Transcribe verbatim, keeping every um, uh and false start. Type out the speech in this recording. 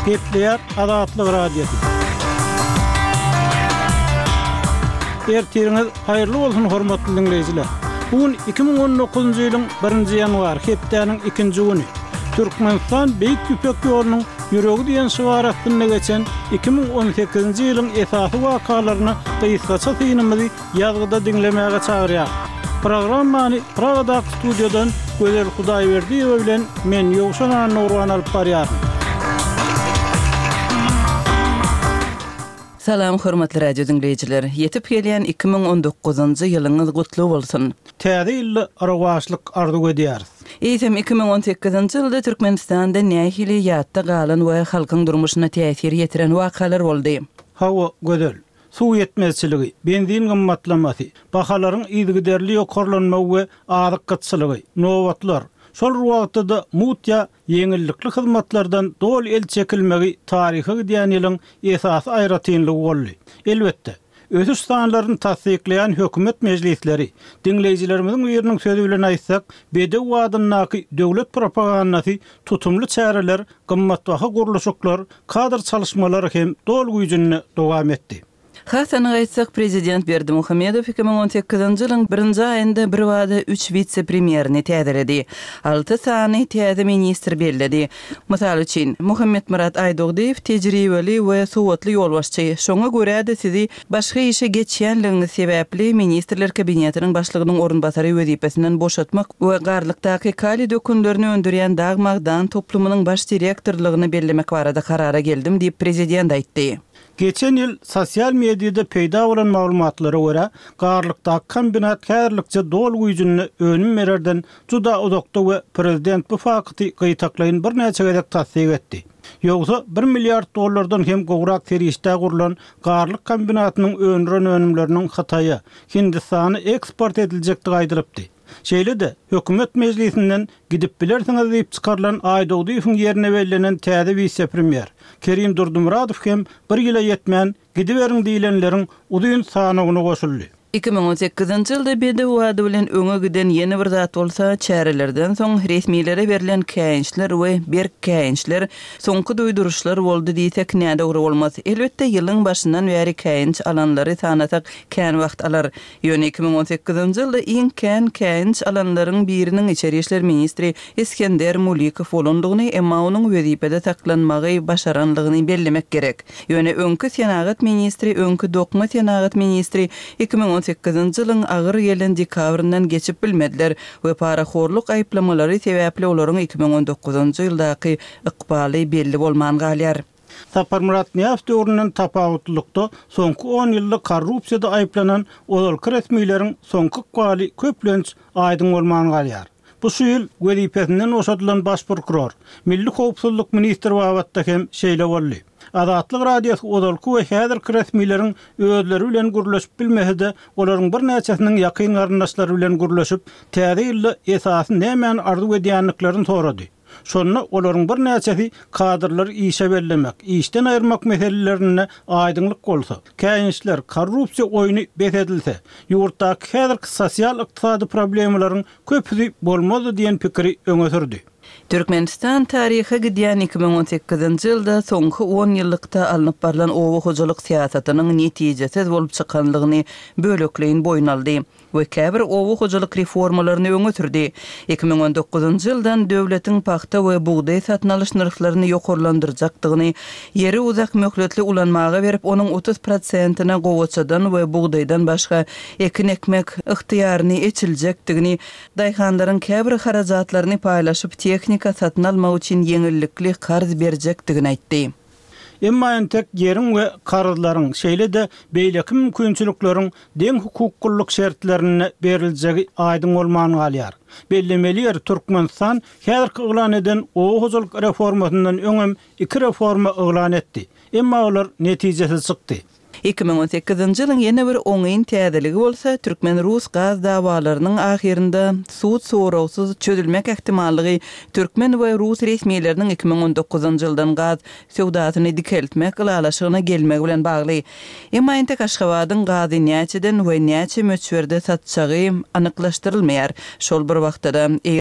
Gepleýär Azatlyk Radiosy. Ertiriňiz haýyrly bolsun hormatly diňleýjiler. Bu gün iki müň on dokuzynjy ýylyň birinji ýanwary, hepdäniň ikinji güni. Türkmenistan Beýik Ýüpek ýolunyň ýüregi diýen şygar astynda geçen iki müň on sekizinji ýylyň esasy wakalaryna gysgaça synymyzy ýazgyda diňlemäge çagyrýar. Programmany Pragadaky studiýadan Gözel Hudaýberdiýewa bilen men Ýowşan Annagurban alyp barýaryn. Salam hormatly radio diňleýjiler. Ýetip gelýän iki müň on dokuzynjy ýylyňyz gutly bolsun. Täze ýylda rowaçlyk arzuw edýäris. Eýsem iki müň on sekizinji ýylda Türkmenistanda nähili ýatda galan we halkyň durmuşyna täsir ýetiren wakalar boldy? Hawa, Gözel. Suw ýetmezçiligi, benzin gymmatlamasy, bahalaryň yzygiderli ýokarlanmagy we azyk gytçylygy, nobatlar, şol wagtda-da mut ýa ýeňillikli hyzmatlardan doly el çekilmegi taryha gidýän ýylyň esasy aýratynlygy boldy. Elbetde, ösüş sanlaryny tassyklaýan hökümet mejlisleri, diňleýjilerimiziň biriniň sözi bilen aýtsak, bedew adyndaky döwlet propagandasy tutumly çäreler, gymmatbaha gurluşyklar, kadr çalışmalary hem doly güýjünde dowam etdi. Hasany aýtsak, prezident Berdimuhamedow iki müň on sekizinji ýylyň birinji aýynda bir wada üç wise-premýerini täzeledi. Alty sany täze ministr belledi. Mysal üçin, Muhammetmyrat Aýdogdyýew tejribeli we sowatly ýolbaşçy. Şoňa görä-de sizi başga işe geçýänligiňiz sebäpli ministrler kabinetiniň başlygynyň orunbasary wezipesinden boşatmak we Garlykdaky kaliý dökünlerini öndürýän dag magdan toplumynyň baş direktorlygyny bellemek barada karara geldim diýip prezident aýtdy. Geçen ýyl sosial mediada peýda bolan maglumatlara görä, Garlykdaky kombinat häzirlikçe doly güýjünde önüm bererden juda uzakda we prezident bu fakty gytaklaýyn birnäçe gezek tassyk etdi. Ýogsa bir milliard dollardan hem gowrak serişde gurlan Garlyk kombinatynyň öndüren önümleriniň Hytaýa, Hindistana eksport ediljekdigi aýdylypdy. Şeýle-de hökümet mejlisinden gidip bilersiňiz diýip çykarylan Aýdogdyýewiň ýerine bellenen täze wise-premýer Kerim Durdumuradow hem bir ýyla ýetmän gidiberiň diýilenleriň uzyn sanawyna goşuldy. Iki müň on sekizinji ýylda bedew ady bilen öňe giden ýene bir zat bolsa, çärelerden soň resmilere berlen käýinçler we berk käýinçler soňky duýduryşlar boldy diýsek nädogry bolmaz. Elbetde ýylyň başyndan bäri käýinç alanlary sanasak kän wagt alar. Ýöne iki müň on sekizinji ýylda iň kän käýinç alanlaryň biriniň içeri işler ministri Iskender Mulikow bolandygyny, emma onuň wezipede saklanmagy başaranlygyny bellemek gerek. Ýöne öňki senagat ministri, öňki dokma senagat ministri iki müň on sekizinji ýylyň agyr gelen dekabryndan geçip bilmediler we parahorluk aýyplamalary sebäpli olaryň iki müň on dokuzynjy ýyldaky ykbaly belli bolman galýar. Saparmyrat Nyýazow döwründen tapawutlylykda soňky on ýylda korrupsiýada aýyplanan ozalky resmileriň soňky ykbaly köplenç aýdyň bolman galýar. Bu şu ýyl wezipesinden boşadylan baş prokuror, Milli howpsuzlyk ministri babatda hem şeýle boldy. Azatlyk Radiosy ozalky we häzirki resmileriň özleri bilen gürleşip bilmese-de, olaryň birnäçesiniň ýakyn garyndaşlary bilen gürleşip, täze ýylda esasy nämäni arzuw edýändiklerini sorady. Şonda olaryň birnäçesi kadrlary işe bellemek, işden aýyrmak meselelerinde aýdyňlyk bolsa, käýinçler, korrupsiýa oýny bes edilse, ýurtdaky häzirki sosial-ykdysady problemalaryň köpüsi bolmazdy diýen pikiri öňe sürdi. Türkmenistan taryha gidýän iki müň on sekizinji ýylda soňky on ýyllykda alnyp barlan oba hojalyk syýasatynyň netijesiz bolup çykanlygyny bölekleýin boýun aldy we käbir oba hojalyk reformalaryny öňe sürdi. Iki müň on dokuzynjy ýyldan döwletiň pagta we bugdaý satyn alyş nyrhlaryny ýokarlandyrjakdygyny, ýeri uzak möhletli ulanmaga berip, onuň otuz prosentine gowaçadan we bugdaýdan başga ekin ekmek ygtyýaryny eçiljekdigini, daýhanlaryň käbir harajatlaryny paýlaşyp tehnika satyn almak üçin ýeňillikli karz berjekdigini aýtdy. Emma entek ýeriň we karzlaryň, şeýle-de beýleki mümkinçilikleriň deň hukuklylyk şertlerinde beriljegi aýdyň bolman galýar. Bellemeli ýer Türkmenistan häzirki yglan eden oba hojalyk reformasyndan öňem iki reforma yglan etdi. Emma olar netijesiz çykdy. Iki müň on sekizinji ýylyň ýene bir oňyn täzeligi bolsa, türkmen-rus gaz dawalarynyň ahyrynda sud soragsyz çözülmek ähtimallygy türkmen we rus resmileriniň iki müň on dokuzynjy ýyldan gaz söwdasyny dikeltmek ylalaşygyna gelmegi bilen bagly. Emma entek Aşgabadyň gazy näçeden we näçe möçberde satjagy anyklaşdyrylmaýar. Şol bir wagtda-da